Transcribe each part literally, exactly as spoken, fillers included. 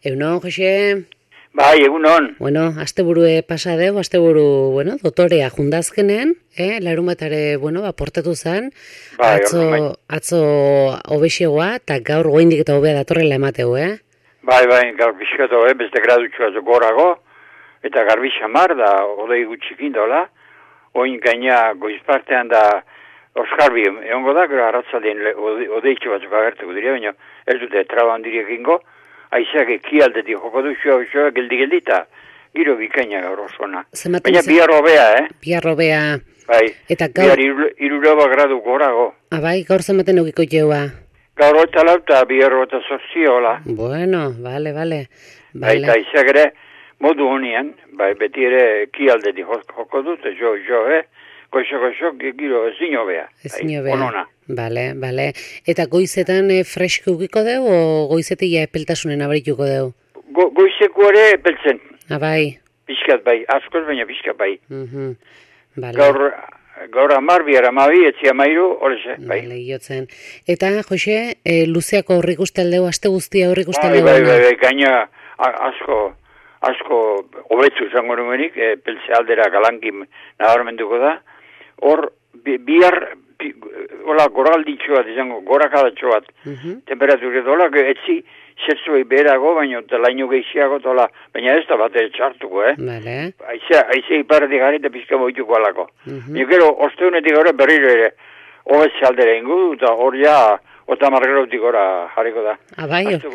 Egunon, Jose? Bai, egunon. Bueno, asteburue pasa deu, asteburu, bueno, dotorea jundazkenen, eh, larumatare, bueno, ba, portatu zen, Bai, atzo, orduan bai. atzo obexegoa, eta gaur goindik eta hobea datorrela emateu, eh? Bai, bai, gaur bizkato, eh, beste gradutxua gorago, eta garbi xamar da, odei gutxikin dola, oin gaina goizpartean da Oskarbi, egongo da, gero arratzaldien odeitxo batzuk agertuko dira, baina ez dute traba handirik ingo, aizeak ekialdetik joko du xua, xua, geldi-geldi eta giro bikaina gaur osona. Baina bihar hobea, eh? Bihar hobea. Bai, Eta gaur... bihar iruroba gradu gorago. Ah, bai, gaur zematen eukiko jeua. Gaur eta lauta, bihar eta sortzi hola. Bueno, vale, vale. Bai, eta aizeak ere, modu honian, bai, beti ere ekialdetik joko dut, jo, jo, eh? Goixo, goixo, giro ezin hobea. Ezin hobea. Onona. Bale, bale. Eta goizetan e, fresko ukiko deu, o goizetik ja epeltasunen abarituko deu? Go, goizeko ere epeltzen. Ah, bai. Piskat bai, askoz baina piskat bai. Mhm. Bale. Gaur, gaur amar, bihar amabi, etzi amairu, horreze, bai. Bale, iotzen. Eta, Jose, e, luzeako horrik ustaldeu, aste guztia horrik Bai, ustaldeu? bai, bai, bai, gaina a- asko, asko hobetzu zango numenik, e, peltze aldera galankin nabarmenduko da. Hor, bi- bihar, bi, hola, goralditxo bat, izango, gorakadatxo bat, Mhm. temperatura dola, etzi, zertzuei beherago, baina laino gehiago dola, baina ez da bat txartuko, eh? Bale. Aizea, aizea iparretik gari eta pizka boituko alako. Mhm. Baina gero, osteunetik gara berriro ere, hobetze aldera ingo, eta hor ja, ota margerotik gora jarriko da. Ah, bai, Aste,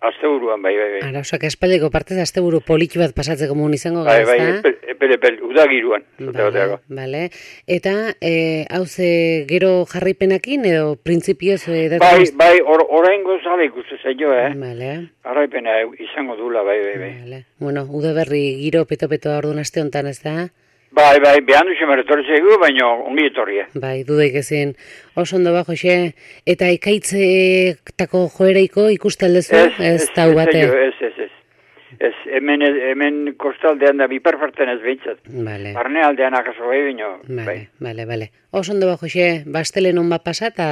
aste buruan, bai, bai, bai. ara, osak espaldeko partez asteburu poliki bat pasatzeko mun izango Bai, gara, bai, ezta? epel, epel, epel, udagiruan. Bale, bale. Eta, e, hauze gero jarraipenakin, edo printzipioz... E, Bai, bai, or, orain gozala ikuste zailo, eh? Bale, Arraipena izango dula, bai, bai, bai. bale. Bueno, udaberri giro peto-peto orduan aste honetan, ez da? Bai, bai, behan duxe meretorri zaigu, baina ongi etorri, eh? Bai, dudaik ezin. Oso ondo ba, Jose. Eta ikaitzetako joereiko ikuste aldezu? Ez, tau bate. Ez, ez, ez. Ez, hemen, hemen kostaldean da biperfarten ez behintzat. Bale, Barne aldean akaso bai, baina, bai. bale, bale, bale. Oso ondo ba, Jose. Bastelen hon bat pasa eta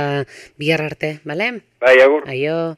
bihar arte, bale? Bai, agur. Aio.